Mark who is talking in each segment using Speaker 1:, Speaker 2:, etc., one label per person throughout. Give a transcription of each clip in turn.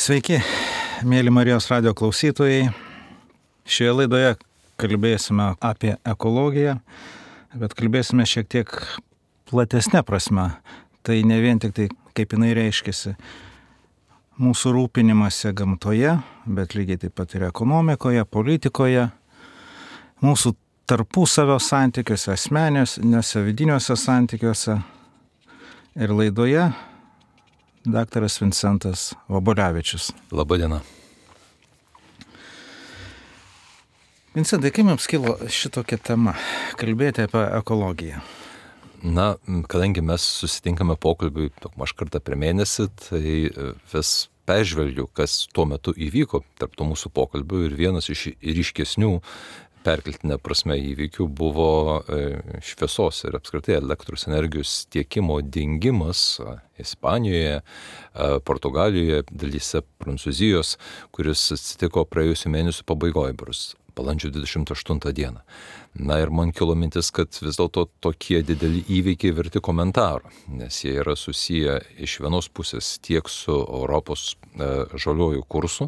Speaker 1: Sveiki, mėly Marijos radio klausytojai. Šioje laidoje kalbėsime apie ekologiją, bet kalbėsime šiek tiek platesnė prasme. Tai ne vien tik tai, kaip jinai reiškiasi mūsų rūpinimąsi gamtoje, bet lygiai taip pat ir ekonomikoje, politikoje, mūsų tarpusavio santykiuose, asmeniniuose, vidiniuose santykiuose. Ir laidoje daktaras Vincentas Vobolevičius.
Speaker 2: Labadiena.
Speaker 1: Vincentai, kaip jums kilo šitokia tema kalbėti apie ekologiją?
Speaker 2: Na, kadangi mes susitinkame pokalbiui maž kartą per mėnesį, tai vis peržvelgiu, kas tuo metu įvyko tarp to mūsų pokalbių, ir vienas iš ryškesnių perkeltinė prasme įvykių buvo šviesos ir apskritai elektros energijos tiekimo dingimas Ispanijoje, Portugalijoje, dalyse Prancūzijos, kuris atsitiko praėjusių mėnesių pabaigoje, balandžio 28 dieną. Na ir man kilo mintis, kad vis dėlto tokie dideli įvykiai verti komentarų, nes jie yra susiję iš vienos pusės tiek su Europos žaliuoju kursu,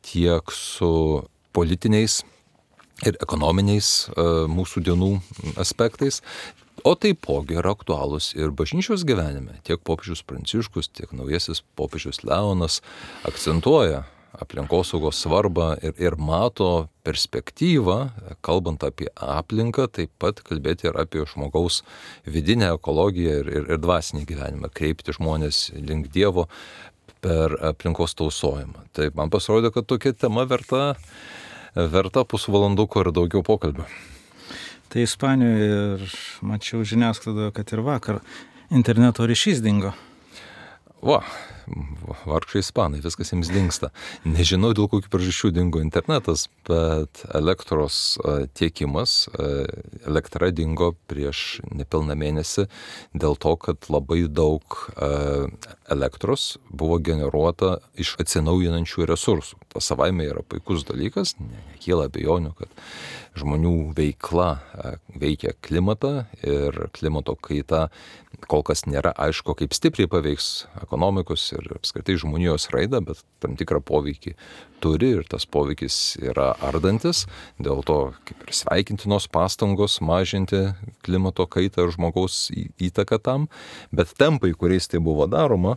Speaker 2: tiek su politiniais ir ekonominiais mūsų dienų aspektais, o taipogi yra aktualūs ir bažnyčios gyvenime. Tiek popiežius Pranciškus, tiek naujasis popiežius Leonas akcentuoja aplinkosaugos svarbą ir mato perspektyvą, kalbant apie aplinką, taip pat kalbėti ir apie žmogaus vidinę ekologiją ir dvasinį gyvenimą, kreipti žmonės link Dievo per aplinkos tausojimą. Tai man pasirodė, kad tokia tema verta pusvalanduko ir daugiau pokalbio.
Speaker 1: Tai Ispanijoje ir mačiau žiniasklaidoje, kad ir vakar interneto ryšys dingo.
Speaker 2: Vargšai ispanai, viskas jiems dingsta. Nežinau, dėl kokių priežasčių dingo internetas, bet elektros tiekimas, elektra dingo prieš nepilną mėnesį dėl to, kad labai daug elektros buvo generuota iš atsinaujinančių resursų. Tas savaime yra puikus dalykas, nekyla abejonių, kad žmonių veikla veikia klimatą ir klimato kaita kol kas nėra aišku, kaip stipriai paveiks ekonomikos ir apskritai žmonijos raidą, bet tam tikrą poveikį turi ir tas poveikis yra ardantis, dėl to kaip ir sveikintinos pastangos mažinti klimato kaitą ir žmogaus įtaką tam, bet tempai, kuriais tai buvo daroma,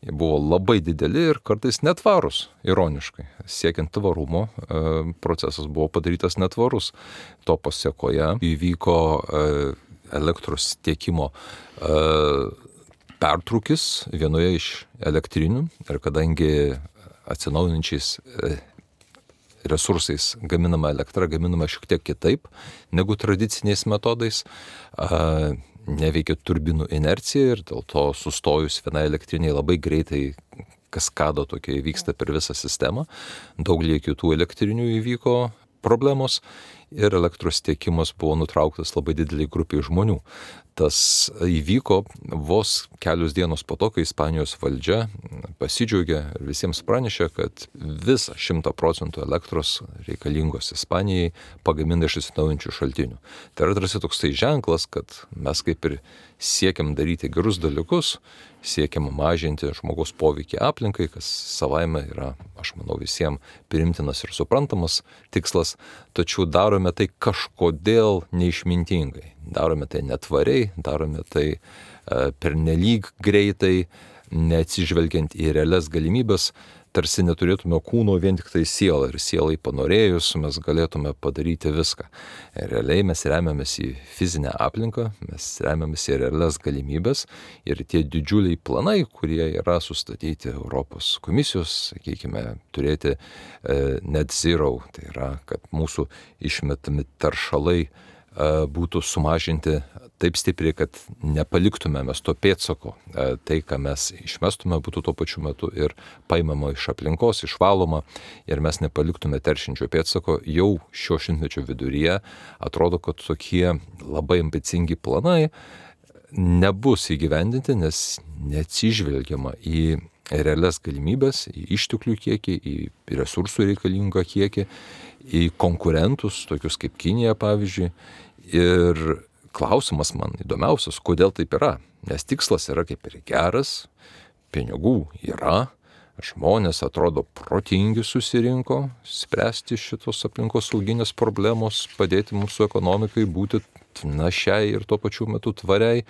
Speaker 2: jie buvo labai dideli ir kartais netvarus, ironiškai. Siekiant tvarumo, procesas buvo padarytas netvarus. To pasiekoje įvyko elektros tiekimo pertrūkis vienoje iš elektrinių ir kadangi atsinaujinančiais resursais gaminama elektra, gaminama šiek tiek kitaip negu tradiciniais metodais, neveikia turbinų inercija ir dėl to sustojus vienai elektriniai labai greitai kaskada tokia įvyksta per visą sistemą. Daugelį kitų elektrinių įvyko problemos ir elektros tiekimas buvo nutrauktas labai dideliai grupiai žmonių. Tas įvyko vos kelios dienos po to, kai Ispanijos valdžia pasidžiaugė ir visiems pranešė, kad visą 100% elektros reikalingos Ispanijai pagamina iš atsinaujinančių šaltinių. Tai yra tarsi toksai ženklas, kad mes kaip ir siekiam daryti gerus dalykus, siekiam mažinti žmogaus poveikį aplinkai, kas savaime yra, aš manau, visiems priimtinas ir suprantamas tikslas, tačiau darome tai kažkodėl neišmintingai. Darome tai netvariai, darome tai pernelyg greitai, neatsižvelgiant į realias galimybės, tarsi neturėtume kūno vien tik tai sielą ir sielai panorėjus mes galėtume padaryti viską. Realiai mes remiamės į fizinę aplinką, mes remiamės į realias galimybės ir tie didžiuliai planai, kurie yra sustatyti Europos komisijos, sakykime, turėti net zero, tai yra, kad mūsų išmetami taršalai būtų sumažinti taip stipriai, kad nepaliktume mes to pėdsako. Tai, ką mes išmestume, būtų tuo pačiu metu ir paimama iš aplinkos, išvaloma ir mes nepaliktume teršinčio pėdsako. Jau šio šimtmečio viduryje atrodo, kad tokie labai ambicingi planai nebus įgyvendinti, nes neatsižvelgiama į realias galimybės, į išteklių kiekį, į resursų reikalingą kiekį, į konkurentus, tokius kaip Kinija, pavyzdžiui. Ir klausimas man įdomiausias, kodėl taip yra. Nes tikslas yra kaip ir geras, pinigų yra, žmonės atrodo protingi susirinko spręsti šitos aplinkosauginės problemos, padėti mūsų ekonomikai būti našiai ir tuo pačiu metu tvariai.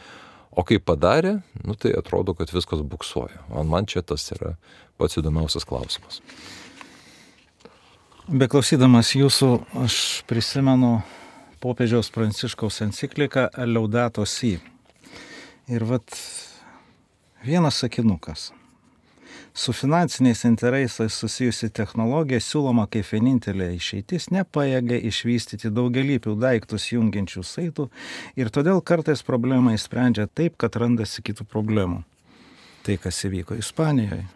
Speaker 2: O kai padarė, tai atrodo, kad viskas buksuoja. Man čia tas yra pats įdomiausias klausimas.
Speaker 1: Beklausydamas jūsų, aš prisimenu popiežiaus Pranciškaus encikliką Laudato Si. Ir vienas sakinukas. Su finansiniais interesais susijusi technologija siūloma kaip vienintelė išeitis nepajėgia išvystyti daugialypių daiktus jungiančių saitų ir todėl kartais problemą išsprendžia taip, kad randasi kitų problemų. Tai, kas įvyko Ispanijoje.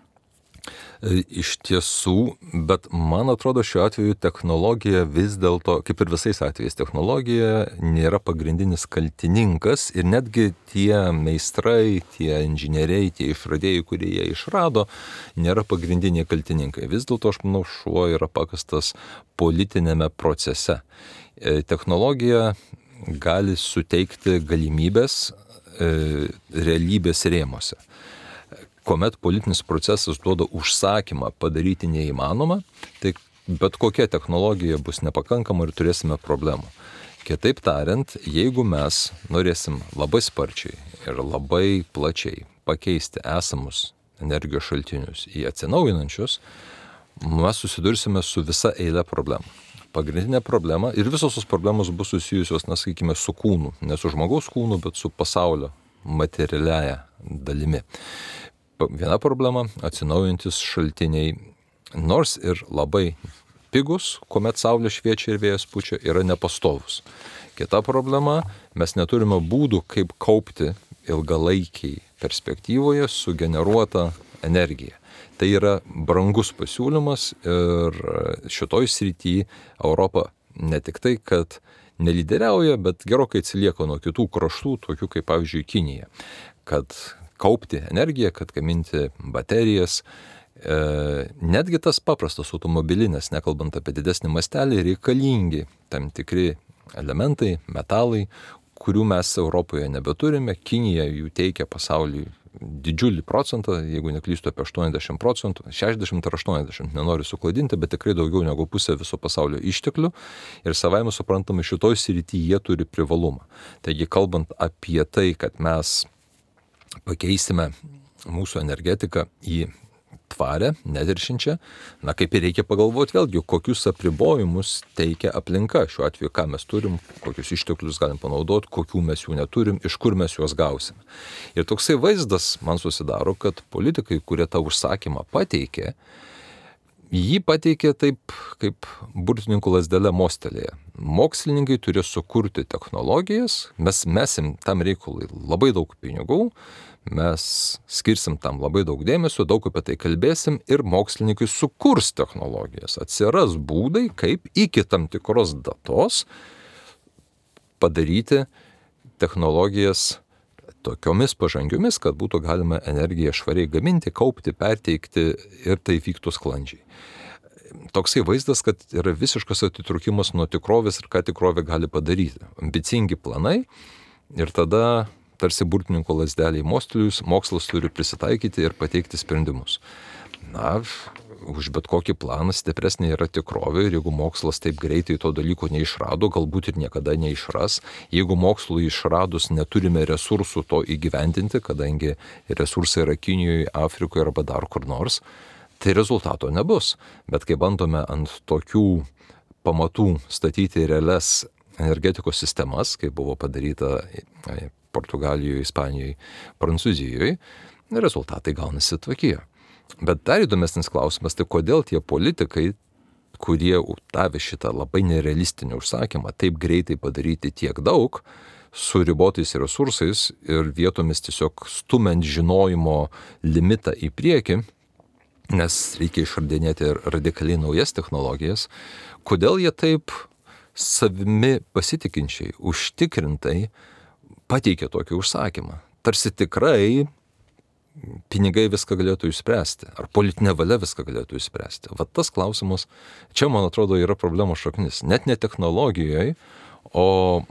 Speaker 2: Iš tiesų, bet man atrodo šiuo atveju technologija vis dėlto, kaip ir visais atvejais, technologija nėra pagrindinis kaltininkas ir netgi tie meistrai, tie inžinieriai, tie išradėjai, kurie jie išrado, nėra pagrindiniai kaltininkai. Vis dėlto, aš manau, šuo yra pakastas politinėme procese. Technologija gali suteikti galimybės realybės rėmose. Kuomet politinis procesas duoda užsakymą padaryti neįmanoma, tai bet kokia technologija bus nepakankama ir turėsime problemų. Kitaip tariant, jeigu mes norėsim labai sparčiai ir labai plačiai pakeisti esamus energijos šaltinius į atsinaujinančius, mes susidursime su visa eile problemų. Pagrindinė problema ir visos tos problemos bus susijusios, sakykime, su kūnu, ne su žmogaus kūnu, bet su pasaulio materialiaja dalimi. Viena problema – atsinaujintis šaltiniai, nors ir labai pigus, kuomet saulė šviečia ir vėjas pučia, yra nepastovus. Kita problema – mes neturime būdų, kaip kaupti ilgalaikiai perspektyvoje sugeneruotą energiją. Tai yra brangus pasiūlymas ir šitoj srityje Europa ne tik tai, kad nelyderiauja, bet gerokai atsilieka nuo kitų kraštų, tokių kaip pavyzdžiui Kinija, kad kaupti energiją, kad gaminti baterijas. Netgi tas paprastas automobilinės, nekalbant apie didesnį mastelį, reikalingi tam tikri elementai, metalai, kurių mes Europoje nebeturime. Kinija jų teikia pasauliui didžiulį procentą, jeigu neklystu apie 80%, 60 ar 80, nenoriu suklaidinti, bet tikrai daugiau negu pusė viso pasaulio išteklių ir savaime suprantama, šitoj srityje jie turi privalumą. Taigi, kalbant apie tai, kad mes pakeisime mūsų energetiką į tvarę, neteršiančią, kaip ir reikia pagalvoti vėlgi, kokius apribojimus teikia aplinka. Šiuo atveju, ką mes turim, kokius išteklius galim panaudoti, kokių mes jų neturim, iš kur mes juos gausime. Ir toksai vaizdas man susidaro, kad politikai, kurie tą užsakymą pateikė, jį pateikė taip, kaip burtininkų lazdele mostelėje. Mokslininkai turės sukurti technologijas, mes mesim tam reikalui labai daug pinigų, mes skirsim tam labai daug dėmesio, daug apie tai kalbėsim ir mokslininkai sukurs technologijas. Atsiras būdai, kaip iki tam tikros datos padaryti technologijas tokiomis pažangiomis, kad būtų galima energiją švariai gaminti, kaupti, perteikti ir tai vyktų sklandžiai. Toksai vaizdas, kad yra visiškas atitrūkimas nuo tikrovės ir ką tikrovė gali padaryti. Ambicingi planai ir tada tarsi burtininko lazdeliai mostelius, mokslas turi prisitaikyti ir pateikti sprendimus. Už bet kokį planą stipresnė yra tikrovė ir jeigu mokslas taip greitai to dalyko neišrado, galbūt ir niekada neišras. Jeigu mokslui išradus neturime resursų to įgyvendinti, kadangi resursai yra Kinijoje, Afrikoje arba dar kur nors, tai rezultato nebus. Bet kai bandome ant tokių pamatų statyti realias energetikos sistemas, kaip buvo padaryta Portugalijoje, Ispanijoje, Prancūzijoje, rezultatai gaunasi tokie. Bet dar įdomesnis klausimas, tai kodėl tie politikai, kurie davė šitą labai nerealistinį užsakymą, taip greitai padaryti tiek daug, su ribotais resursais ir vietomis tiesiog stumiant žinojimo limitą į priekį, nes reikia išradinėti radikaliai naujas technologijas, kodėl jie taip savimi pasitikinčiai, užtikrintai pateikė tokį užsakymą. Tarsi tikrai pinigai viską galėtų išspręsti, ar politinė valia viską galėtų išspręsti. Vat tas klausimas, čia man atrodo yra problemos šaknis. Net ne technologijoje, o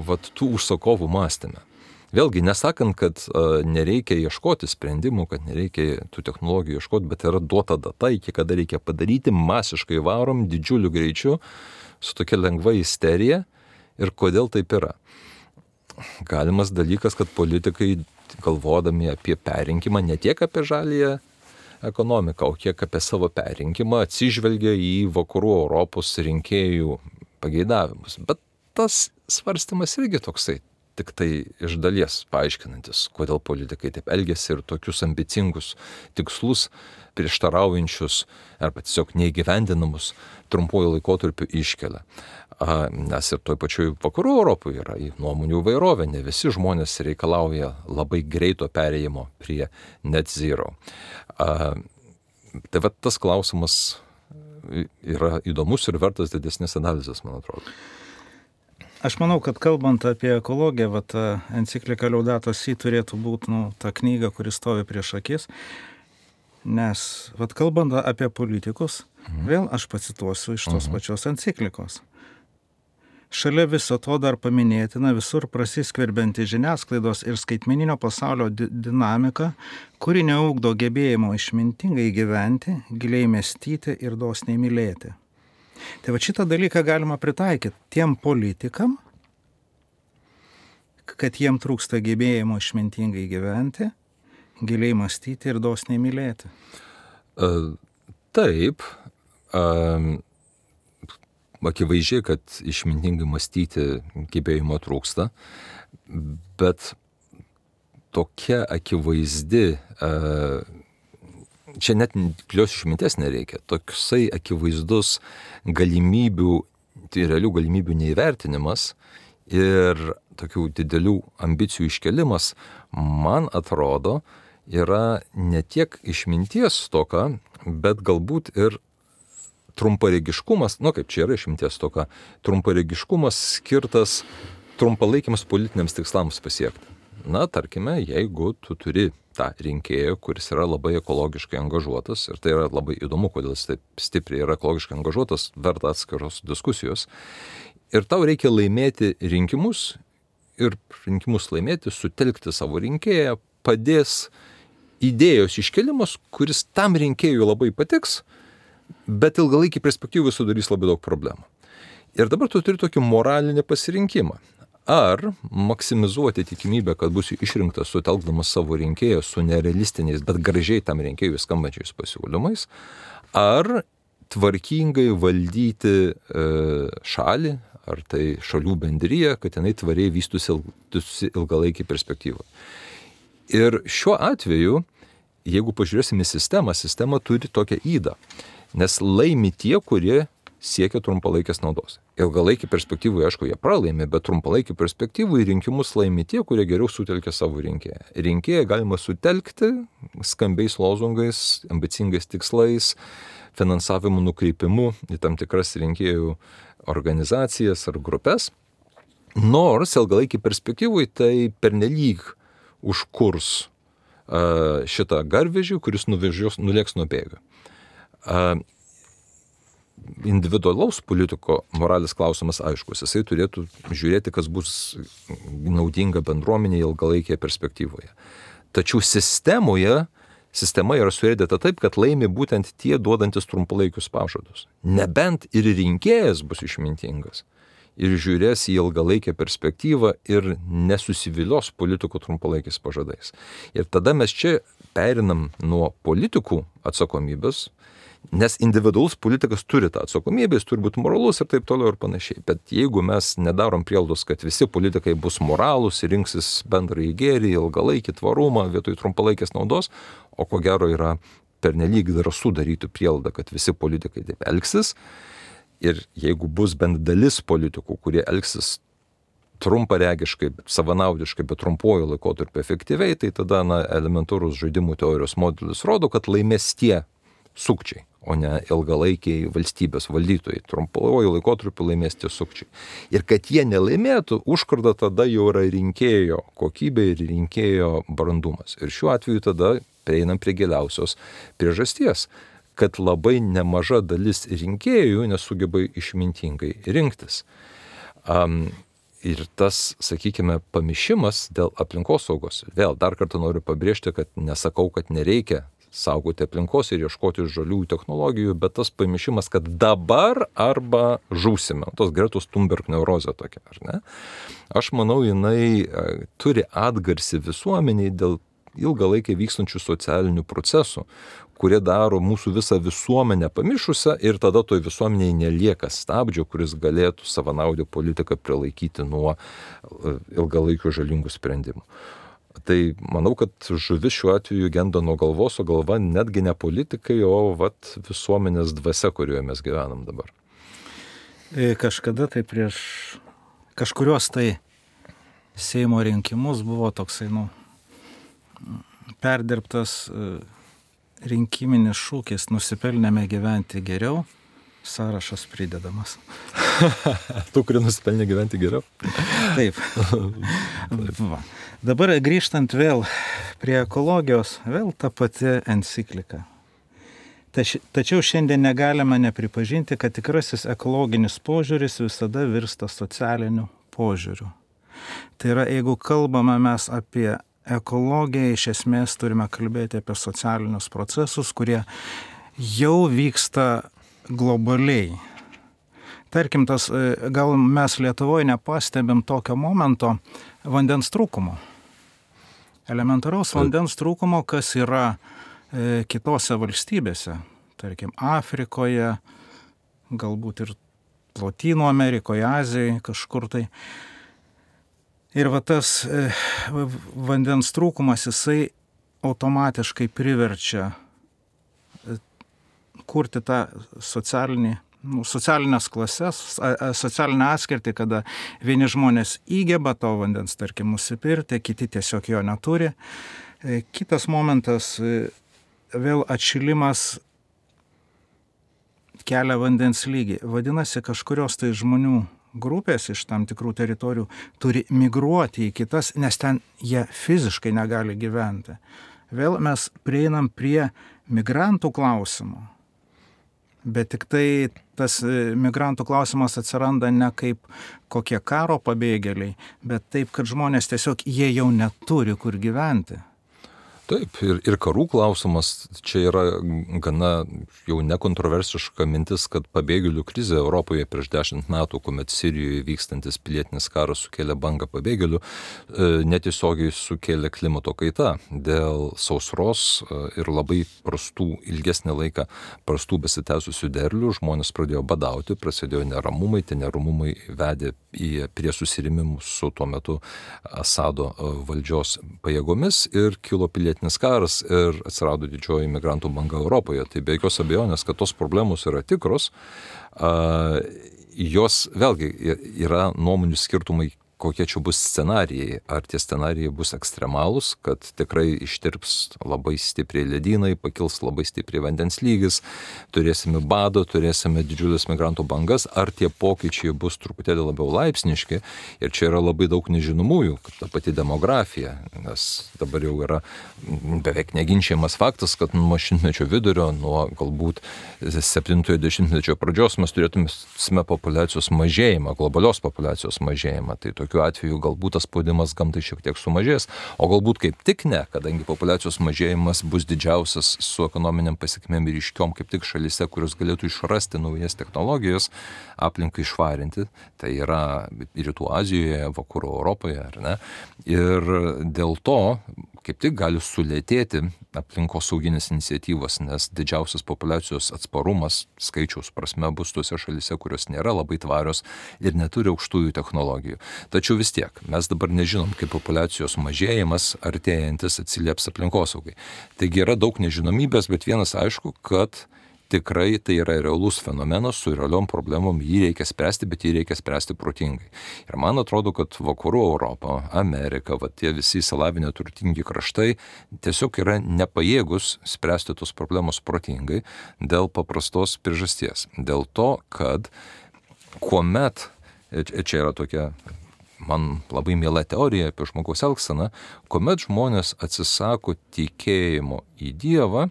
Speaker 2: vat tų užsakovų mąstyme. Vėlgi, nesakant, kad nereikia ieškoti sprendimų, kad nereikia tų technologijų ieškoti, bet yra duota data, iki kada reikia padaryti, masiškai varom, didžiuliu greičiu, su tokia lengva isterija. Ir kodėl taip yra? Galimas dalykas, kad politikai, galvodami apie perrinkimą, ne tiek apie žaliąją ekonomiką, o kiek apie savo perrinkimą, atsižvelgia į vakarų Europos rinkėjų pageidavimus. Bet tas svarstymas irgi toksai, tik tai iš dalies paaiškinantis, kodėl politikai taip elgiasi ir tokius ambicingus tikslus prieštaraujančius arba tiesiog neįgyvendinamus trumpuoju laikotarpiu iškelia. Nes ir toj pačioj vakarų Europoje yra nuomonių įvairovė, ne visi žmonės reikalauja labai greito perėjimo prie net zero. Tai va tas klausimas yra įdomus ir vertas didesnės analizės, man atrodo.
Speaker 1: Aš manau, kad kalbant apie ekologiją, enciklika Laudato Si turėtų būti ta knyga, kuri stovi prieš akis, nes kalbant apie politikus, vėl aš pacituosiu iš tos pačios enciklikos. Šalia viso to dar paminėtina visur prasiskverbianti žiniasklaidos ir skaitmeninio pasaulio dinamika, kuri neugdo gebėjimo išmintingai gyventi, giliai mąstyti ir dosniai mylėti. Tai šitą dalyką galima pritaikyti tiem politikam, kad jiem trūksta gebėjimo išmintingai gyventi, giliai mąstyti ir dosniai mylėti.
Speaker 2: Taip, akivaizdžiai, kad išmintingai mąstyti gebėjimo trūksta, bet tokia akivaizdi, čia net gilios išminties nereikia, toksai akivaizdus galimybių, tai realių galimybių neįvertinimas ir tokių didelių ambicijų iškelimas, man atrodo, yra ne tiek išminties stoka, bet galbūt ir trumparegiškumas, kaip čia yra išminties stoka, trumparegiškumas skirtas trumpalaikiams politiniams tikslams pasiekti. Tarkime, jeigu tu turi tą rinkėją, kuris yra labai ekologiškai angažuotas, ir tai yra labai įdomu, kodėl jis taip stipriai yra ekologiškai angažuotas, verta atskiros diskusijos, ir tau reikia laimėti rinkimus, ir rinkimus laimėti, sutelkti savo rinkėją, padės idėjos iškelimas, kuris tam rinkėjui labai patiks, bet ilgalaikį perspektyvą sudarys labai daug problemų. Ir dabar tu turi tokį moralinį pasirinkimą. Ar maksimizuoti tikimybę, kad būsiu išrinktas sutelkdamas savo rinkėją su nerealistiniais, bet gražiai tam rinkėjui skambančiais pasiūlymais, ar tvarkingai valdyti šalį, ar tai šalių bendriją, kad jinai tvariai vystusi ilgalaikį perspektyvą. Ir šiuo atveju, jeigu pažiūrėsime sistema turi tokią ydą, nes laimi tie, kurie siekia trumpalaikės naudos. Ilgalaikį perspektyvų, aišku, jie pralaimi, bet trumpalaikį perspektyvų į rinkimus laimi tie, kurie geriau sutelkia savo rinkėją. Rinkėją galima sutelkti skambiais lozungais, ambicingais tikslais, finansavimu nukreipimu į tam tikras rinkėjų organizacijas ar grupės. Nors ilgalaikį perspektyvų tai pernelyg užkurs šitą garvežį, kuris nulėks nuo bėgių. Individualaus politiko moralės klausimas aiškus. Jisai turėtų žiūrėti, kas bus naudinga bendruomenėje ilgalaikėje perspektyvoje. Tačiau sistema yra surėdėta taip, kad laimi būtent tie duodantis trumpalaikius pažadus. Nebent ir rinkėjas bus išmintingas ir žiūrės į ilgalaikę perspektyvą ir nesusivilios politikų trumpalaikiais pažadais. Ir tada mes čia perinam nuo politikų atsakomybės, nes individualus politikas turi tą atsakomybę, jis turi būti moralus ir taip toliau ir panašiai. Bet jeigu mes nedarom prielaidos, kad visi politikai bus moralūs ir rinksis bendrąjį gėrį, ilgalaikį tvarumą vietoj trumpalaikės naudos, o ko gero yra pernelyg drąsu daryti prielaidą, kad visi politikai taip elgsis. Ir jeigu bus bent dalis politikų, kurie elgsis trumparegiškai, savanaudiškai, bet trumpuoju laikotarpiu efektyviai, tai tada elementarus žaidimų teorijos modelis rodo, kad laimės tie sukčiai, o ne ilgalaikiai valstybės valdytojai. Trumpuoju laikotarpiu laimės tie sukčiai. Ir kad jie nelaimėtų, užkarda tada jau yra rinkėjo kokybė ir rinkėjo brandumas. Ir šiuo atveju tada prieinam prie giliausios priežasties, kad labai nemaža dalis rinkėjų nesugeba išmintingai rinktis. Ir tas, sakykime, pamišimas dėl aplinkosaugos. Vėl dar kartą noriu pabrėžti, kad nesakau, kad nereikia saugoti aplinkos ir ieškoti žaliųjų technologijų, bet tas pamišimas, kad dabar arba žūsime, tos Gretos Thunberg neurozė tokia, ar ne? Aš manau, jinai turi atgarsį visuomeniai dėl ilgalaikiai vykstančių socialinių procesų, kurie daro mūsų visą visuomenę pamišusią ir tada toj visuomeniai nelieka stabdžio, kuris galėtų savanaudę politiką prilaikyti nuo ilgalaikių žalingų sprendimų. Tai manau, kad žuvis šiuo atveju genda nuo galvos, o galva netgi ne politikai, o visuomenės dvasia, kurioje mes gyvenam dabar.
Speaker 1: Kažkada tai prieš kažkurios tai Seimo rinkimus buvo toksai, perdirbtas rinkiminis šūkis nusipelnėme gyventi geriau, sąrašas pridedamas.
Speaker 2: Tu, kurie nusipelnė gyventi geriau?
Speaker 1: Taip. Va. Dabar grįžtant vėl prie ekologijos, vėl ta pati enciklika. Tačiau šiandien negalime nepripažinti, kad tikrasis ekologinis požiūris visada virsta socialiniu požiūriu. Tai yra, jeigu kalbame mes apie ekologiją, iš esmės turime kalbėti apie socialinius procesus, kurie jau vyksta globaliai. Tarkim, gal mes Lietuvoje nepastebim tokio momento vandens trūkumo. Elementaraus vandens trūkumo, kas yra kitose valstybėse, tarkim, Afrikoje, galbūt ir Lotynų Amerikoje, Azijoje, kažkur tai. Ir tas vandens trūkumas, jisai automatiškai priverčia kurti tą socialinės klases, socialinę atskirtį, kada vieni žmonės įgeba to vandens, tarkim, nusipirkti, kiti tiesiog jo neturi. Kitas momentas, vėl atšilimas kelia vandens lygį. Vadinasi, kažkurios tai žmonių grupės iš tam tikrų teritorijų turi migruoti į kitas, nes ten jie fiziškai negali gyventi. Vėl mes prieinam prie migrantų klausimo. Bet tik tai tas migrantų klausimas atsiranda ne kaip kokie karo pabėgėliai, bet taip, kad žmonės tiesiog jie jau neturi kur gyventi.
Speaker 2: Taip, ir karų klausimas, čia yra gana jau nekontroversiška mintis, kad pabėgėlių krizė Europoje prieš 10 metų, kuomet Sirijoje vykstantis pilietinis karas sukėlė bangą pabėgėlių, netiesiogiai sukėlė klimato kaita dėl sausros ir labai ilgesnį laiką prastų besitęsusių derlių, žmonės pradėjo badauti, prasidėjo neramumai, tie neramumai vedė prie susirėmimų su tuo metu Asado valdžios pajėgomis ir kilo pilietinis karas ir atsirado didžioji migrantų banga Europoje. Tai be jokios abejonės, kad tos problemos yra tikros, jos vėlgi yra nuomonių skirtumai, kokie čia bus scenarijai. Ar tie scenarijai bus ekstremalūs, kad tikrai ištirps labai stipriai ledynai, pakils labai stipriai vandens lygis, turėsime badą, turėsime didžiulės migrantų bangas, ar tie pokyčiai bus truputėlį labiau laipsniški. Ir čia yra labai daug nežinomųjų, kad ta pati demografija, nes dabar jau yra beveik neginčiamas faktas, kad nuo šimtmečio vidurio, nuo galbūt 70-mečio pradžios mes turėtume populiacijos mažėjimą, globalios populiacijos mažėjimą. Tai tokiu atveju galbūt tas spaudimas gamtai šiek tiek sumažės, o galbūt kaip tik ne, kadangi populiacijos mažėjimas bus didžiausias su ekonominiam pasiekmėm ir ryškiom kaip tik šalyse, kurios galėtų išrasti naujas technologijas, aplinkai švarinti, tai yra Rytų Azijoje, Vakarų Europoje, ar ne? Ir dėl to kaip tik gali sulėtėti aplinkosauginės iniciatyvos, nes didžiausias populiacijos atsparumas skaičiaus prasme bus tose šalyse, kurios nėra labai tvarios ir neturi aukštųjų technologijų. Tačiau vis tiek, mes dabar nežinom, kaip populiacijos mažėjimas artėjantis atsilieps aplinkosaugai. Taigi yra daug nežinomybės, bet vienas aišku, kad tikrai tai yra realus fenomenas su realiom problemom, jį reikia spręsti, bet jį reikia spręsti protingai. Ir man atrodo, kad Vakarų Europa, Amerika, tie visi įsilavinę turtingi kraštai tiesiog yra nepajėgus spręsti tos problemos protingai dėl paprastos priežasties. Dėl to, kad kuomet, čia yra tokia man labai miela teorija apie žmogaus elgseną, kuomet žmonės atsisako tikėjimo į Dievą,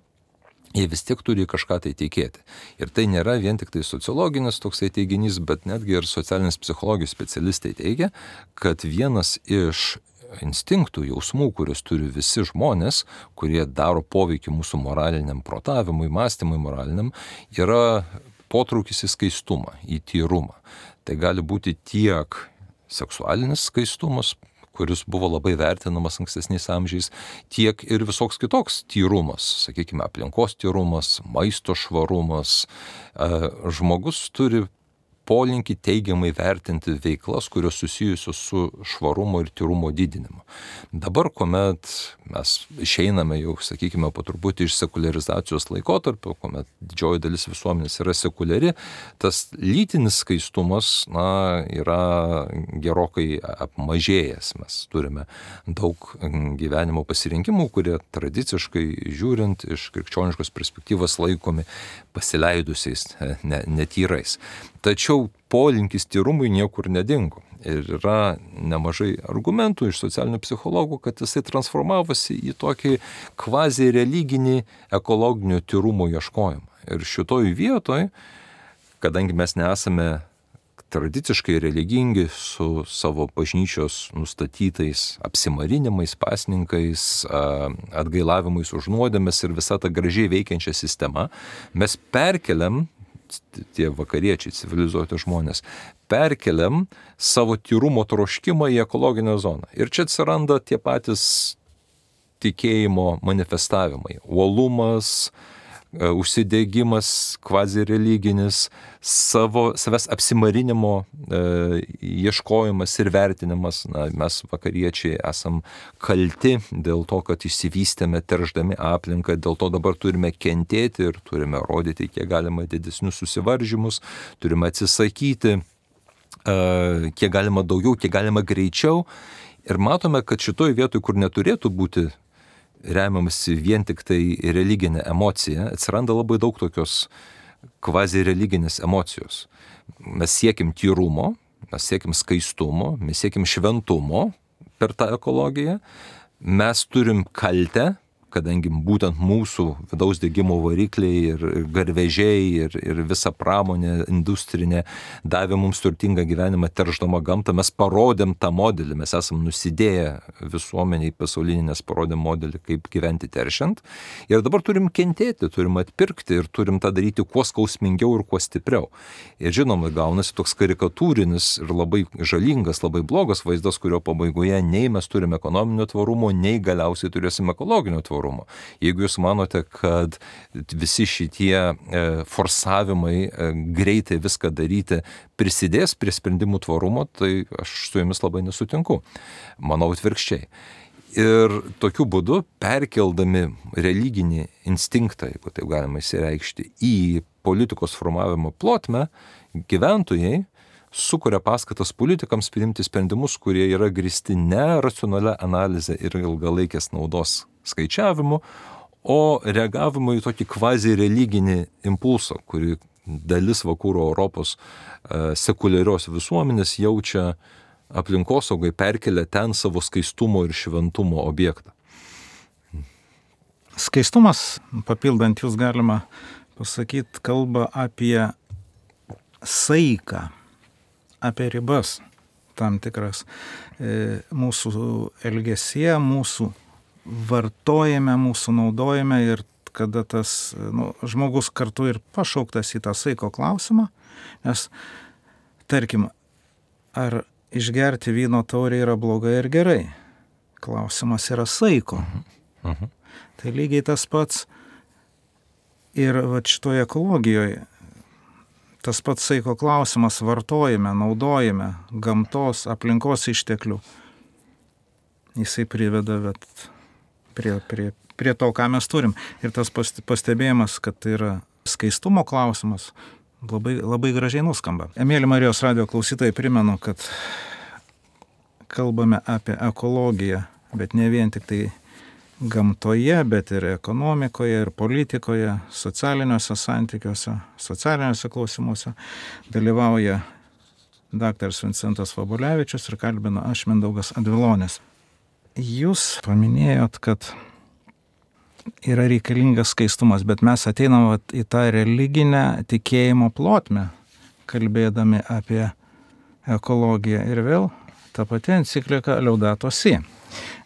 Speaker 2: jie vis tiek turi kažką tai tikėti. Ir tai nėra vien tik tai sociologinis toksai teiginys, bet netgi ir socialinės psichologijos specialistai teigia, kad vienas iš instinktų, jausmų, kuriuos turi visi žmonės, kurie daro poveikį mūsų moraliniam protavimui, mąstymui moraliniam, yra potraukis į skaistumą, į tyrumą. Tai gali būti tiek seksualinis skaistumas, kuris buvo labai vertinamas ankstesniais amžiais, tiek ir visoks kitoks tyrumas, sakykime, aplinkos tyrumas, maisto švarumas. Žmogus turi polinkį teigiamai vertinti veiklas, kurios susijusios su švarumo ir tyrumo didinimu. Dabar, kuomet mes išeiname jau, sakykime, po truputį iš sekuliarizacijos laikotarpio, kuomet didžioji dalis visuomenės yra sekuliari, tas lytinis skaistumas, yra gerokai apmažėjęs. Mes turime daug gyvenimo pasirinkimų, kurie tradiciškai žiūrint iš krikščioniškos perspektyvos laikomi pasileidusiais, netyrais. Tačiau polinkis tyrumui niekur nedingo. Ir yra nemažai argumentų iš socialinių psichologų, kad jisai transformavosi į tokį kvazi religinį ekologinio tyrumo ieškojimą. Ir šitoj vietoj, kadangi mes nesame tradiciškai religingi su savo bažnyčios nustatytais apsimarinimais, pasninkais, atgailavimais už nuodėmes ir visa ta gražiai veikiančia sistema, mes perkeliam, tie vakariečiai, civilizuoti žmonės, perkeliam savo tyrumo troškimą į ekologinę zoną. Ir čia atsiranda tie patys tikėjimo manifestavimai. Uolumas, užsidegimas kvazi religinis, savęs apsimarinimo ieškojimas ir vertinimas. Mes vakariečiai esam kalti dėl to, kad išsivystėme teršdami aplinką, dėl to dabar turime kentėti ir turime rodyti kiek galima didesnius susivaržymus, turime atsisakyti kiek galima daugiau, kiek galima greičiau. Ir matome, kad šitoj vietoj, kur neturėtų būti remiamasi vien tik tai religinė emocija, atsiranda labai daug tokios kvazi religinės emocijos. Mes siekim tyrumo, mes siekim skaistumo, mes siekim šventumo per tą ekologiją, mes turim kaltę, kadangi būtent mūsų vidaus degimo varikliai ir garvežiai ir visa pramonė industrinė davė mums turtingą gyvenimą teršdama gamtą, mes parodėm tą modelį, mes esam nusidėję visuomeniai pasaulinį, nes parodėm modelį, kaip gyventi teršiant. Ir dabar turim kentėti, turim atpirkti ir turim tą daryti kuo skausmingiau ir kuo stipriau. Ir žinoma, gaunasi toks karikatūrinis ir labai žalingas, labai blogas vaizdas, kurio pabaigoje nei mes turime ekonominio tvarumo, nei galiausiai turėsim ekologinio tvarumo. Jeigu jūs manote, kad visi šitie forsavimai greitai viską daryti prisidės prie sprendimų tvarumo, tai aš su jumis labai nesutinku. Manau atvirkščiai. Ir tokiu būdu, perkeldami religinį instinktą, jeigu taip galima išsireikšti, į politikos formavimo plotmę, gyventojai sukuria paskatas politikams priimti sprendimus, kurie yra grįsti ne racionalia analize ir ilgalaikės naudos skaičiavimu, o reagavimu į tokį kvazi religinį impulsą, kurį dalis vakarų Europos sekuliarios visuomenės jaučia aplinkosaugai, perkelia ten savo skaistumo ir šventumo objektą.
Speaker 1: Skaistumas, papildant jūs galima pasakyti, kalba apie saiką, apie ribas tam tikras mūsų elgesyje, mūsų vartojame, mūsų naudojame ir kada tas žmogus kartu ir pašauktas į tą saiko klausimą, nes tarkim, ar išgerti vyno taurę yra blogai ar gerai? Klausimas yra saiko. Tai lygiai tas pats ir šitoje ekologijoje. Tas pats saiko klausimas vartojame, naudojame gamtos, aplinkos išteklių. Jisai priveda prie to, ką mes turim. Ir tas pastebėjimas, kad tai yra skaistumo klausimas, labai, labai gražiai nuskamba. Mėly Marijos radijo klausytojai, primenu, kad kalbame apie ekologiją, bet ne vien tik tai gamtoje, bet ir ekonomikoje, ir politikoje, socialiniuose santykiuose, socialiniuose klausimuose dalyvauja daktaras Vincentas Vabulevičius ir kalbina aš, Mindaugas Advilonis. Jūs paminėjot, kad yra reikalingas skaistumas, bet mes ateinam vat į tą religinę tikėjimo plotmę, kalbėdami apie ekologiją. Ir vėl ta pati enciklika Laudato Si.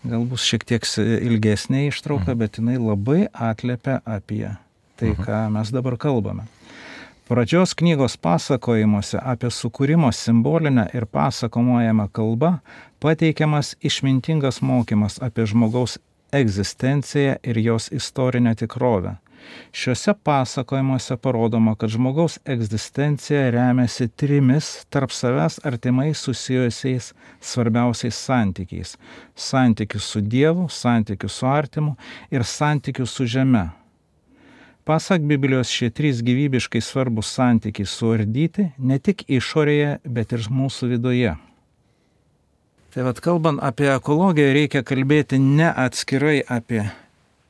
Speaker 1: Galbūt šiek tiek ilgesnė ištrauka, bet jinai labai atliepia apie tai, ką mes dabar kalbame. Pradžios knygos pasakojimuose apie sukūrimo simbolinę ir pasakomojamą kalbą pateikiamas išmintingas mokymas apie žmogaus egzistenciją ir jos istorinę tikrovę. Šiuose pasakojimuose parodoma, kad žmogaus egzistencija remiasi 3 tarp savęs artimai susijusiais svarbiausiais santykiais. Santykius su Dievu, santykius su artimu ir santykius su žeme. Pasak Biblijos, šie 3 gyvybiškai svarbus santykiai suardyti ne tik išorėje, bet ir mūsų viduje. Tai vat kalbant apie ekologiją, reikia kalbėti ne atskirai apie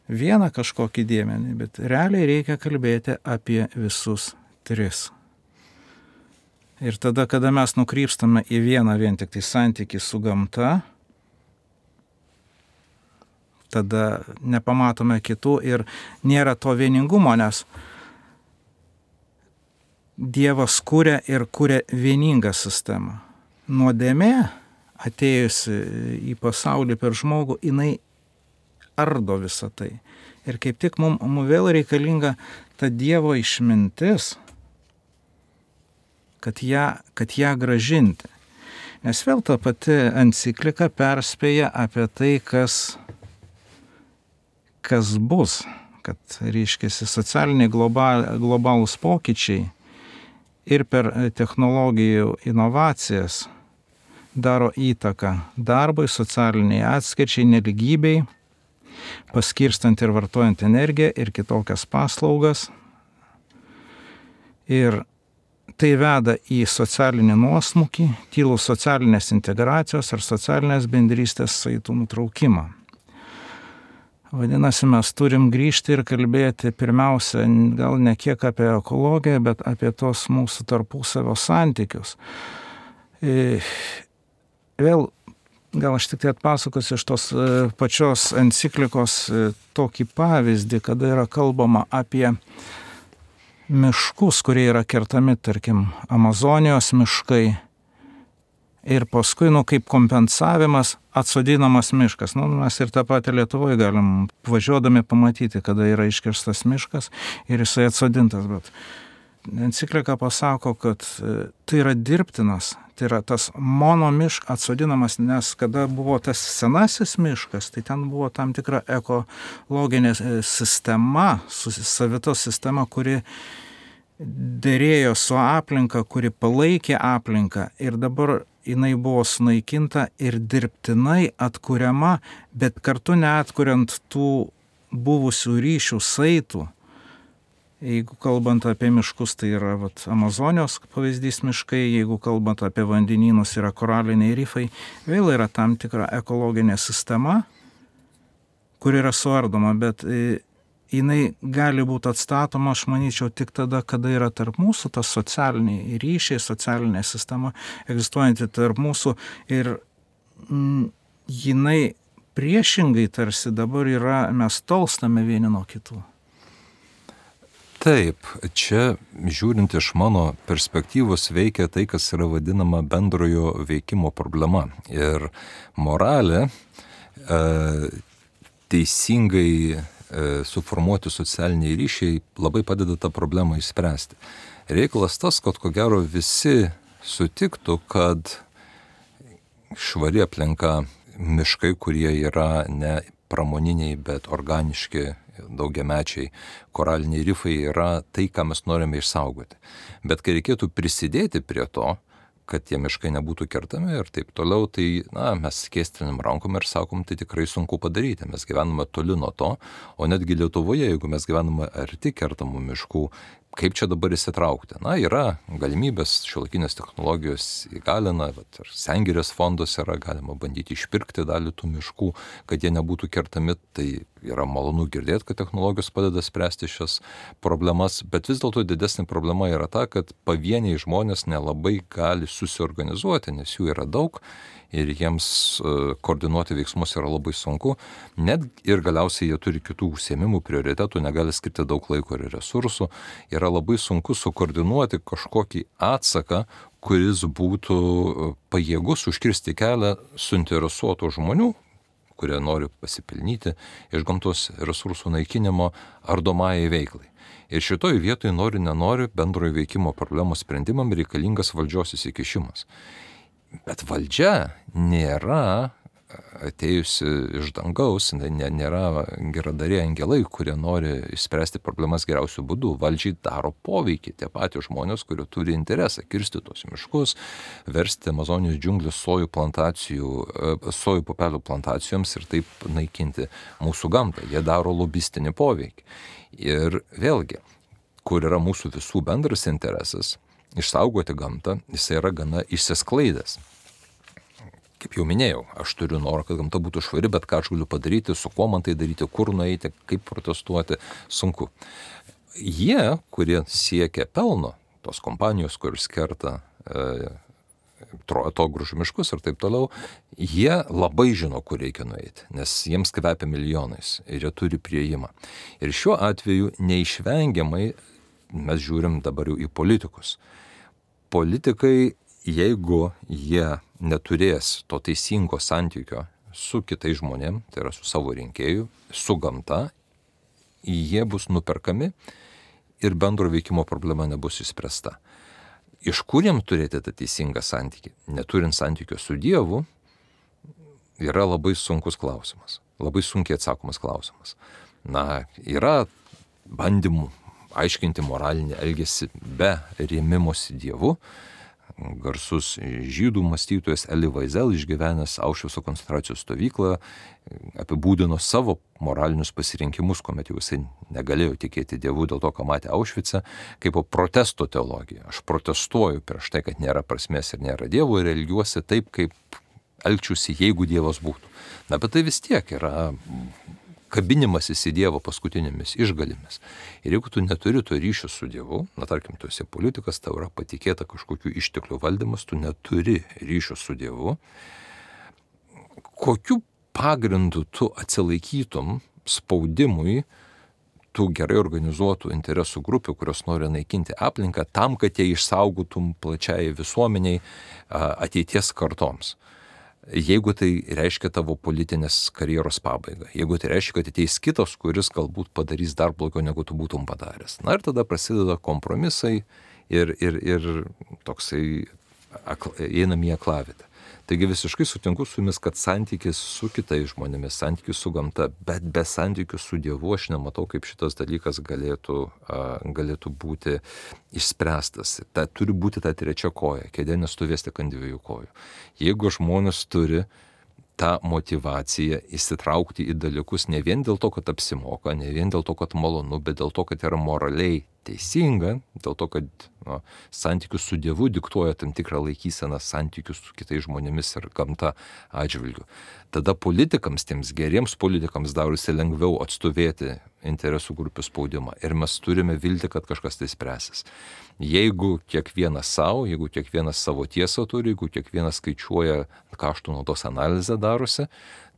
Speaker 1: vieną kažkokį dėmenį, bet realiai reikia kalbėti apie visus 3. Ir tada, kada mes nukrypstame į vieną vien tik tai santykį su gamta, tada nepamatome kitų ir nėra to vieningumo, nes Dievas kuria ir kuria vieningą sistemą. Nuodėmė, atėjusi į pasaulį per žmogų, jinai ardo visą tai. Ir kaip tik mums vėl reikalinga ta Dievo išmintis, kad ją gražinti. Nes vėl ta pati enciklika perspėja apie tai, kas bus, kad reiškiasi socialiniai globalūs pokyčiai ir per technologijų inovacijas daro įtaką darbui, socialiniai atskirčiai, nelygybei, paskirstant ir vartojant energiją ir kitokias paslaugas. Ir tai veda į socialinį nuosmukį, tylų socialinės integracijos ar socialinės bendrystės saitų nutraukimą. Vadinasi, mes turim grįžti ir kalbėti pirmiausia, gal ne kiek apie ekologiją, bet apie tos mūsų tarpusavio santykius. Vėl, gal aš tik tai atpasakosiu iš tos pačios enciklikos tokį pavyzdį, kada yra kalbama apie miškus, kurie yra kertami, tarkim, Amazonijos miškai. Ir paskui, kaip kompensavimas, atsodinamas miškas. Mes ir tą patį Lietuvoje galim važiuodami pamatyti, kada yra iškirstas miškas ir jisai atsodintas. Bet enciklika pasako, kad tai yra dirbtinas, tai yra tas monomiškas atsodinamas, nes kada buvo tas senasis miškas, tai ten buvo tam tikra ekologinė sistema, savita sistema, kuri derėjo su aplinka, kuri palaikė aplinką ir dabar jinai buvo sunaikinta ir dirbtinai atkuriama, bet kartu neatkuriant tų buvusių ryšių saitų. Jeigu kalbant apie miškus, tai yra Amazonijos pavyzdys miškai, jeigu kalbant apie vandenynus, yra koraliniai rifai, vėl yra tam tikra ekologinė sistema, kur yra suardoma, bet jinai gali būti atstatoma, aš manyčiau, tik tada, kada yra tarp mūsų tas socialiniai ryšiai, socialinė sistema egzistuojanti tarp mūsų ir jinai priešingai tarsi dabar yra, mes tolstame vieni nuo kitų.
Speaker 2: Taip, čia žiūrint iš mano perspektyvos veikia tai, kas yra vadinama bendrojo veikimo problema. Ir moralė teisingai suformuoti socialiniai ryšiai labai padeda tą problemą išspręsti. Reikalas tas, kad ko gero visi sutiktų, kad švari aplinka, miškai, kurie yra ne pramoniniai, bet organiški, daugiamečiai, koraliniai rifai yra tai, ką mes norime išsaugoti. Bet kai reikėtų prisidėti prie to, kad tie miškai nebūtų kertami ir taip toliau, tai mes skėstrinam rankom ir sakom, tai tikrai sunku padaryti. Mes gyvename toli nuo to, o netgi Lietuvoje, jeigu mes gyvename arti kertamų miškų, kaip čia dabar įsitraukti? Yra galimybės, šiuolaikinės technologijos įgalina, ir Sengirės fondas yra, galima bandyti išpirkti dalį tų miškų, kad jie nebūtų kertami, tai yra malonu girdėti, kad technologijos padeda spręsti šias problemas, bet vis dėlto didesnė problema yra ta, kad pavieniai žmonės nelabai gali susiorganizuoti, nes jų yra daug ir jiems koordinuoti veiksmus yra labai sunku, net ir galiausiai jie turi kitų užsiėmimų, prioritetų, negali skirti daug laiko ir resursų, yra labai sunku sukoordinuoti kažkokį atsaką, kuris būtų pajėgus užkirsti kelią suinteresuotų žmonių, kurie nori pasipelnyti iš gamtos resursų naikinimo ardomajai veiklai. Ir šitoj vietoj nenori bendrojo veikimo problemų sprendimam reikalingas valdžios įsikišimas. Bet valdžia nėra atėjusi iš dangaus, nėra geradariai angelai, kurie nori išspręsti problemas geriausių būdų. Valdžiai daro poveikį tie patys žmonės, kurie turi interesą kirsti tos miškus, versti Amazonijos džiunglių sojų pupelių plantacijoms ir taip naikinti mūsų gamtą. Jie daro lobistinį poveikį. Ir vėlgi, kur yra mūsų visų bendras interesas, išsaugoti gamtą, jis yra gana išsisklaidęs. Kaip jau minėjau, aš turiu norą, kad gamta būtų švari, bet ką aš galiu padaryti, su kuo man tai daryti, kur nueiti, kaip protestuoti, sunku. Jie, kurie siekia pelno, tos kompanijos, kuris kerta atogrąžų miškus ir taip toliau, jie labai žino, kur reikia nueiti, nes jiems kvepia milijonais ir jie turi priėjimą. Ir šiuo atveju neišvengiamai mes žiūrim dabar jau į politikus. Politikai, jeigu jie neturės to teisingo santykio su kitais žmonėm, tai yra su savo rinkėju, su gamta, jie bus nuperkami ir bendro veikimo problema nebus išspręsta. Iš kur jiem turėti tą teisingą santykį? Neturint santykio su Dievu, yra labai sunkus klausimas, labai sunkiai atsakomas klausimas. Yra bandymų aiškinti moralinį elgesį be rėmimosi Dievu. Garsus žydų mąstytojas Elie Wiesel, išgyvenęs Aušvico koncentracijos stovyklą, apibūdino savo moralinius pasirinkimus, kuomet jau jisai negalėjo tikėti Dievu dėl to, ką matė Aušvice, kaip protesto teologija. Aš protestuoju prieš tai, kad nėra prasmės ir nėra Dievo ir elgiuosi taip, kaip elgčiausi, jeigu Dievas būtų. Bet tai vis tiek yra kabinimasis į Dievo paskutinėmis išgalimis. Ir jeigu tu neturi to ryšio su Dievu, tarkim, tu esi politikas, tau yra patikėta kažkokių išteklių valdymas, tu neturi ryšio su Dievu, kokiu pagrindu tu atsilaikytum spaudimui tų gerai organizuotų interesų grupių, kurios nori naikinti aplinką, tam, kad jie išsaugotum plačiai visuomeniai ateities kartoms. Jeigu tai reiškia tavo politinės karjeros pabaigą, jeigu tai reiškia, kad ateis kitas, kuris galbūt padarys dar blogiau, negu tu būtum padaręs. Ir tada prasideda kompromisai ir toksai einam į aklavietę. Taigi visiškai sutinku su jumis, kad santykis su kitais žmonėmis, santykis su gamta, bet be santykių su Dievu aš nematau, kaip šitas dalykas galėtų būti išspręstas. Turi būti ta trečia koja, kėdė nestovės tik ant dviejų kojų. Jeigu žmonės turi tą motyvaciją įsitraukti į dalykus ne vien dėl to, kad apsimoka, ne vien dėl to, kad malonu, bet dėl to, kad yra moraliai teisinga, dėl to, kad santykius su Dievu diktuoja tam tikrą laikyseną santykius su kitais žmonėmis ir gamta atžvilgiu. Tada politikams, tiems geriems politikams darosi lengviau atstovėti interesų grupių spaudimą ir mes turime viltį, kad kažkas tai spręsis. Jeigu kiekvienas savo, jeigu kiekvienas savo tiesą turi, jeigu kiekvienas skaičiuoja kaštų naudos analizę darosi,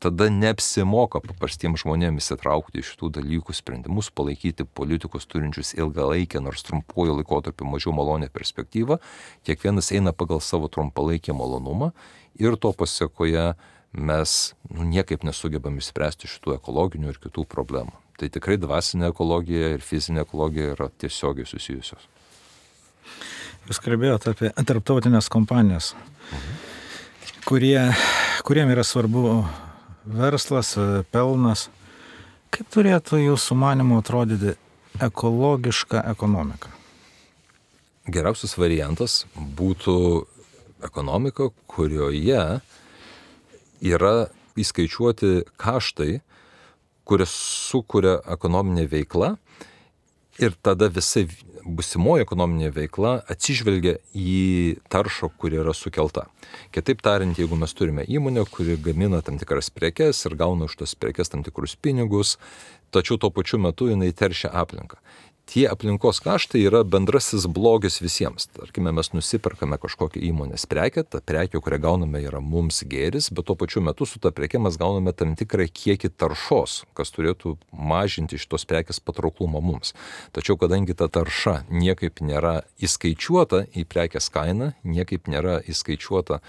Speaker 2: tada neapsimoka paprastiems žmonėms įsitraukti į šitų dalykų sprendimus, palaikyti politikus turinčius ilgalaikę, nors trumpuoju laikotarpiu mažiau malonę perspektyvą. Kiekvienas eina pagal savo trumpalaikį malonumą ir to pasiekoje mes niekaip nesugebam išspręsti šitų ekologinių ir kitų problemų. Tai tikrai dvasinė ekologija ir fizinė ekologija yra tiesiogiai susijusios.
Speaker 1: Jūs kalbėjote apie tarptautinės kompanijas, kuriem yra svarbu verslas, pelnas. Kaip turėtų jūsų manymu atrodyti ekologiška ekonomika?
Speaker 2: Geriausias variantas būtų ekonomika, kurioje yra įskaičiuoti kaštai, kurias sukuria ekonominė veikla ir tada visa busimoji ekonominė veikla atsižvelgia į taršą, kuri yra sukelta. Kitaip tariant, jeigu mes turime įmonę, kuri gamina tam tikras prekes ir gauna už tas prekes tam tikrus pinigus, tačiau tuo pačiu metu jinai teršia aplinką. tie aplinkos kaštai yra bendrasis blogis visiems. Tarkime, mes nusiperkame kažkokią įmonės prekę, ta prekė, kurią gauname, yra mums gėris, bet tuo pačiu metu su ta preke mes gauname tam tikrą kiekį taršos, kas turėtų mažinti šitos prekės patrauklumą mums. Tačiau kadangi ta tarša niekaip nėra įskaičiuota į prekės kainą, niekaip nėra įskaičiuota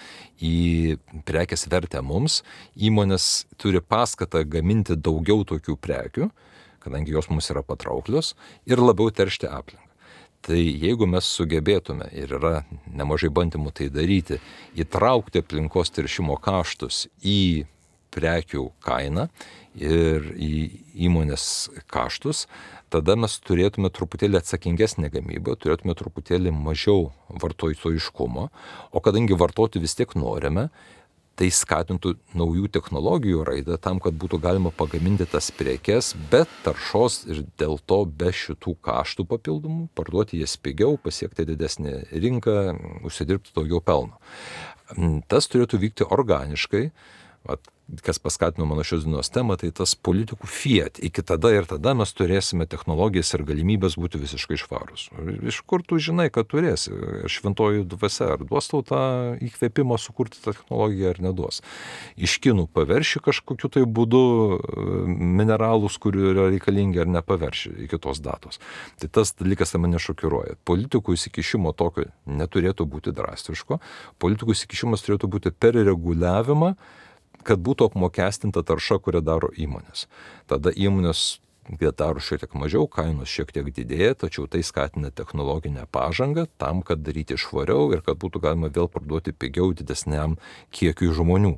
Speaker 2: į prekės vertę mums, įmonės turi paskatą gaminti daugiau tokių prekių, kadangi jos mums yra patrauklios, ir labiau teršti aplinką. Tai jeigu mes sugebėtume, ir yra nemažai bandymų tai daryti, įtraukti aplinkos teršimo kaštus į prekių kainą ir į įmonės kaštus, tada mes turėtume truputėlį atsakingesnę gamybą, turėtume truputėlį mažiau vartotojiškumo, o kadangi vartoti vis tiek norime, tai skatintų naujų technologijų raidą tam, kad būtų galima pagaminti tas prekes be taršos ir dėl to be šitų kaštų papildomų, parduoti jas pigiau, pasiekti didesnį rinką, užsidirbti daugiau pelno. Tas turėtų vykti organiškai. Kas paskatino mano šios dienos temą, tai tas politikų fiat. Iki tada ir tada mes turėsime technologijas ir galimybės būti visiškai švarus. Iš kur tu žinai, kad turėsi? Šventoji dvasia ar duos tau tą įkvėpimą sukurti tą technologiją ar neduos? Iš kinų paverši kažkokiu tai būdu mineralus, kurių yra reikalingi, ar nepaverši iki tos datos. Tai tas dalykas mane šokiruoja. Politikų įsikišimo tokio neturėtų būti drastiško. Politikų įsikišimas turėtų būti per reguliavimą, kad būtų apmokestinta tarša, kurią daro įmonės. Tada įmonės daro šiek tiek mažiau, kainos šiek tiek didėja, tačiau tai skatina technologinę pažangą tam, kad daryti švariau ir kad būtų galima vėl parduoti pigiau didesniam kiekiui žmonių.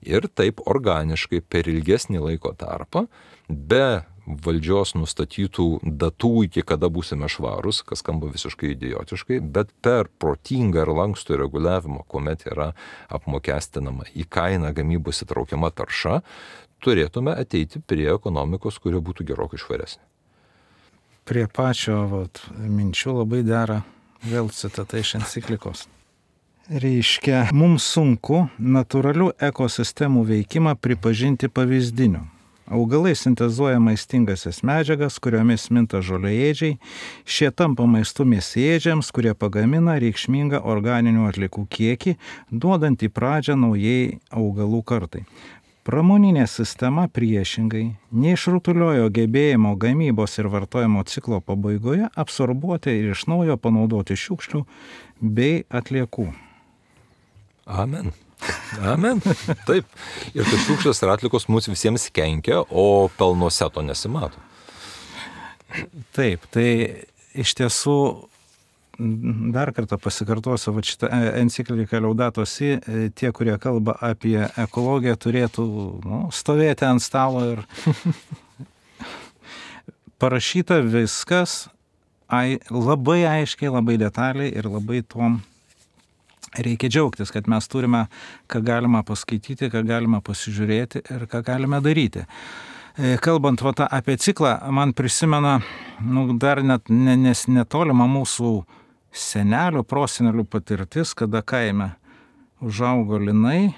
Speaker 2: Ir taip organiškai per ilgesnį laiko tarpą, be valdžios nustatytų datų, iki kada būsime švarus, kas skamba visiškai idiotiškai, bet per protingą ir lankstų reguliavimą, kuomet yra apmokestinama į kainą gamybos įtraukiama tarša, turėtume ateiti prie ekonomikos, kuri būtų gerokai švaresnė.
Speaker 1: Prie pačio minčių labai dera vėl citata iš enciklikos. Reiškia, mums sunku natūralių ekosistemų veikimą pripažinti pavyzdiniu. Augalai sintezuoja maistingasias medžiagas, kuriomis minta žolėėdžiai, šie tampa maistu mėsėdžiams, kurie pagamina reikšmingą organinių atliekų kiekį, duodant į pradžią naujai augalų kartai. Pramoninė sistema priešingai neišrutuliojo gebėjimo gamybos ir vartojimo ciklo pabaigoje absorbuoti ir iš naujo panaudoti šiukšlių bei atliekų.
Speaker 2: Amen. Amen. Taip. Ir kad šiukšlės ir atlikos mums visiems kenkia, o pelnuose to nesimato.
Speaker 1: Taip, tai iš tiesų dar kartą pasikartosiu, šitą encikliką Laudato Si, tie, kurie kalba apie ekologiją, turėtų stovėti ant stalo ir parašyta viskas labai aiškiai, labai detaliai ir labai tom reikia džiaugtis, kad mes turime, ką galima paskaityti, ką galima pasižiūrėti ir ką galime daryti. Kalbant apie ciklą, man prisimena dar net netolima mūsų senelių, prosenelių patirtis, kada kaime užaugo linai,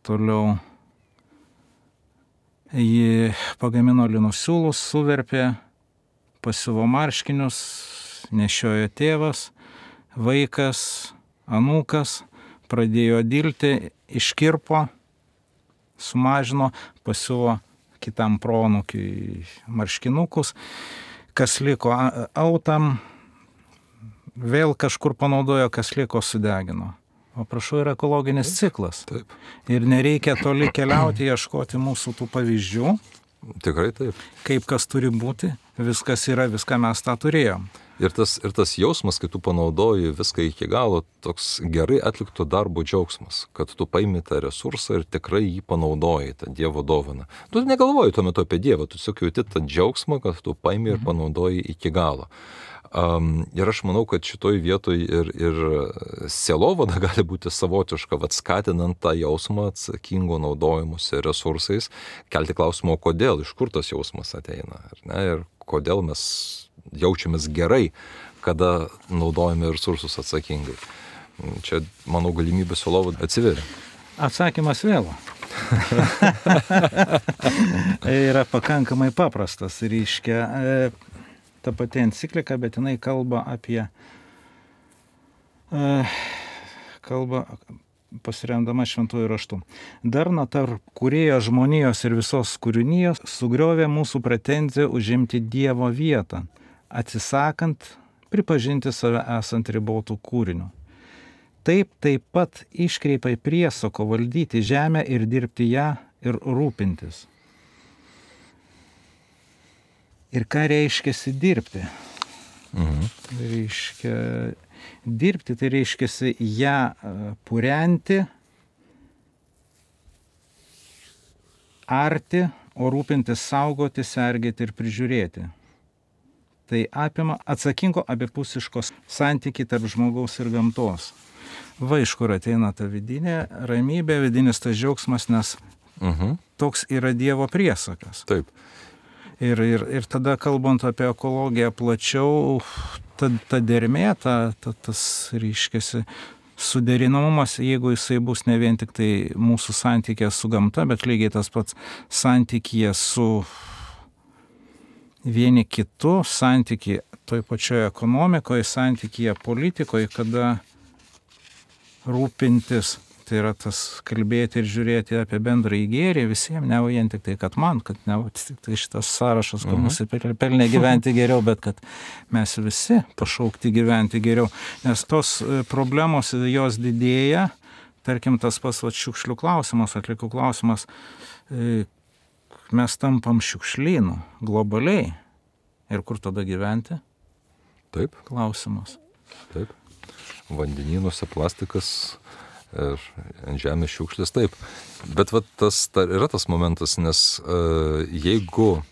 Speaker 1: toliau jį pagamino linų siūlus, suverpė, pasiuvo marškinius, nešiojo tėvas, vaikas, anūkas, pradėjo dilti, iškirpo, sumažino, pasiuvo kitam proanūkiui marškinukus, kas liko autam, vėl kažkur panaudojo, kas liko sudegino. O prašau, yra ekologinis ciklas.
Speaker 2: Taip.
Speaker 1: Ir nereikia toli keliauti, ieškoti mūsų tų pavyzdžių.
Speaker 2: Tikrai taip.
Speaker 1: Kaip kas turi būti, viskas yra, viską mes tą turėjom.
Speaker 2: Ir tas jausmas, kai tu panaudoji viską iki galo, toks gerai atlikto darbo džiaugsmas, kad tu paimi tą resursą ir tikrai jį panaudoji, tą Dievo dovaną. Tu negalvoji tuo metu apie Dievą, tu tiesiog jauti tą džiaugsmą, kad tu paimi ir panaudoji iki galo. Ir aš manau, kad šitoj vietoj ir sielovada gali būti savotiška, skatinant tą jausmą atsakingo naudojimuose resursais, kelti klausimą, kodėl, iš kur tas jausmas ateina, ar ne, ir kodėl mes jaučiamės gerai, kada naudojame resursus atsakingai. Čia, manau, galimybė sielovada atsiveria.
Speaker 1: Atsakymas vėl. Yra pakankamai paprastas, reiškia. ta pati enciklika, bet jinai kalba apie, pasiremdama šventųjų raštų. Darna tarp kūrėjo žmonijos ir visos kūrinijos sugriovė mūsų pretenziją užimti Dievo vietą, atsisakant pripažinti save esant ribotų kūrinių. Taip pat iškreipė priesako valdyti žemę ir dirbti ją ir rūpintis. Ir ką reiškiasi dirbti? Reiškia, dirbti tai reiškiasi ją purenti, arti, o rūpintis saugoti, sergėti ir prižiūrėti. Tai apima atsakingo abipusiškos santykiai tarp žmogaus ir gamtos. Va iš kur ateina ta vidinė ramybė, vidinis tas džiaugsmas, nes toks yra Dievo priesakas.
Speaker 2: Taip.
Speaker 1: Ir tada, kalbant apie ekologiją plačiau, ta dermė, tas reiškiasi suderinamumas, jeigu jisai bus ne vien tik tai mūsų santykė su gamta, bet lygiai tas pats santykė su vieni kitu, santykė toj pačioje ekonomikoje, santykė politikoje, kada rūpintis, tai yra tas kalbėti ir žiūrėti apie bendrąjį gėrį visiems, ne vien tik tai, kad man, kad ne tik tai šitas sąrašas, kur nusipelnė gyventi geriau, bet kad mes visi pašaukti gyventi geriau. Nes tos problemos, jos didėja, tarkim tas pats šiukšlių klausimas, atliekų klausimas, mes tampam šiukšlynu globaliai. Ir kur tada gyventi?
Speaker 2: Taip.
Speaker 1: Klausimas.
Speaker 2: Taip. Vandenynuose plastikas ir ant žemės šiukšlės, taip. Bet tas yra tas momentas, nes jeigu,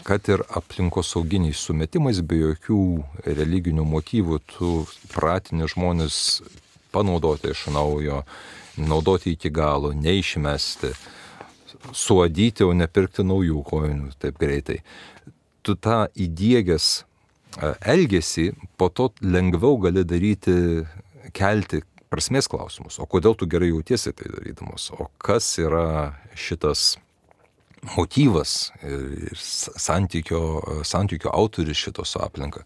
Speaker 2: kad ir aplinkosauginiais sumetimais, be jokių religinių motyvų, tu pratini žmonės panaudoti iš naujo, naudoti iki galo, neišmesti, suadyti, o nepirkti naujų kojinių taip greitai. Tu tą įdiegęs elgesį, po to lengviau gali kelti prasmės klausimus. O kodėl tu gerai jautiesi tai darydamas? O kas yra šitas motyvas ir santykio autoris šito su aplinka?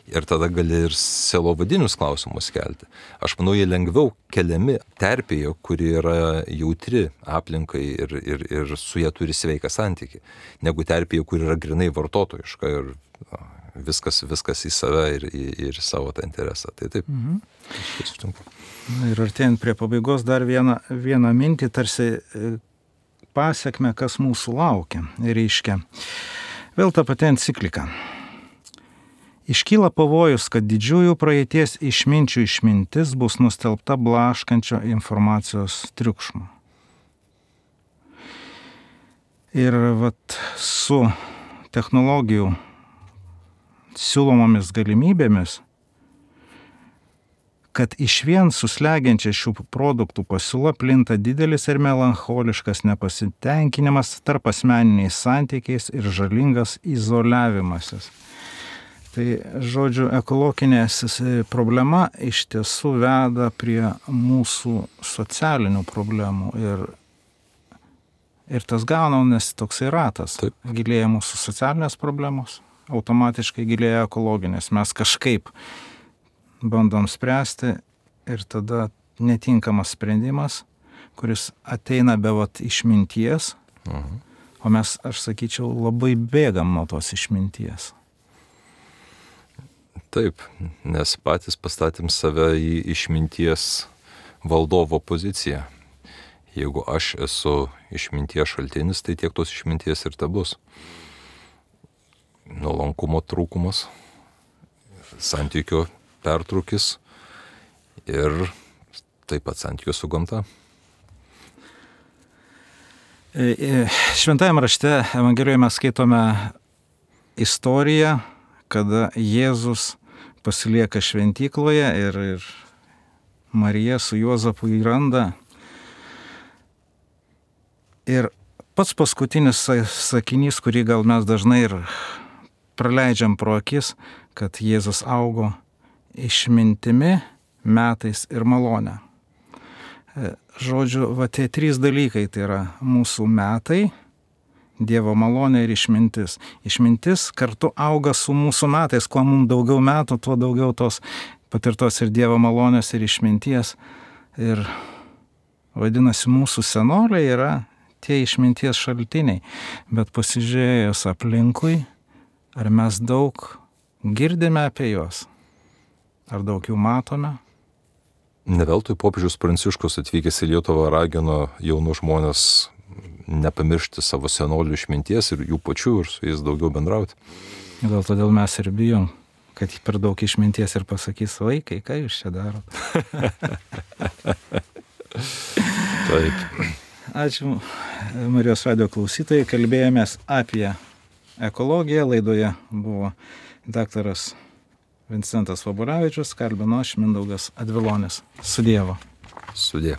Speaker 2: Ir tada gali ir sielovadinius klausimus kelti. Aš manau, jie lengviau keliami terpėje, kuri yra jautri aplinkai ir su jie turi sveiką santykį, negu terpėje, kuri yra grinai vartotojiška ir viskas į save ir savo tą interesą. Tai taip. Aš sutinku.
Speaker 1: Ir artėjant prie pabaigos dar vieną mintį, tarsi pasiekme, kas mūsų laukia. Reiškia, vėl ta pati enciklika. Iškyla pavojus, kad didžiųjų praeities išminčių išmintis bus nustelbta blaškančio informacijos triukšmo. Ir su technologijų siūlomomis galimybėmis, kad išvien suslegiančia šių produktų pasiūla plinta didelis ir melancholiškas nepasitenkinimas tarp asmeniniais santykiais ir žalingas izoliavimasis. Tai, žodžiu, ekologinė problema iš tiesų veda prie mūsų socialinių problemų ir tas gaunamės toksai ratas.
Speaker 2: Taip.
Speaker 1: Gilėja mūsų socialinės problemos, automatiškai gilėja ekologinės. Mes kažkaip bandom spręsti ir tada netinkamas sprendimas, kuris ateina be išminties, o mes, aš sakyčiau, labai bėgam nuo tos išminties.
Speaker 2: Taip, nes patys pastatėm save į išminties valdovo poziciją. Jeigu aš esu išminties šaltinis, tai tiek tos išminties ir tebus. Nuolankumo trūkumas, santykio pertrūkis ir taip pat santykio su gamta.
Speaker 1: Šventajame rašte Evangelijoje mes skaitome istoriją, kada Jėzus pasilieka šventykloje ir Marija su Juozapu jį randa. Ir pats paskutinis sakinys, kurį gal mes dažnai ir praleidžiam pro akis, kad Jėzus augo išmintimi, metais ir malone. Žodžiu, tie trys dalykai, tai yra mūsų metai, Dievo malonė ir išmintis. Išmintis kartu auga su mūsų metais. Kuo mums daugiau metų, tuo daugiau tos patirtos ir Dievo malonės ir išminties. Ir vadinasi, mūsų senoliai yra tie išminties šaltiniai. Bet pasižiūrėjus aplinkui, ar mes daug girdime apie juos? Ar daug jų matome?
Speaker 2: Neveltui popiežius Pranciškus atvykęs į Lietuvą ragino jaunus žmonės nepamiršti savo senolių išminties ir jų pačių ir su jais daugiau bendrauti.
Speaker 1: Gal todėl mes ir bijom, kad per daug išminties ir pasakys, vaikai, ką jūs čia darot?
Speaker 2: Taip.
Speaker 1: Ačiū Marijos radijo klausytojai, kalbėjomės apie ekologiją, laidoje buvo daktaras Vincentas Voboravičius, kalbino aš Mindaugas Advilonis. Su Dievu.
Speaker 2: Sudie.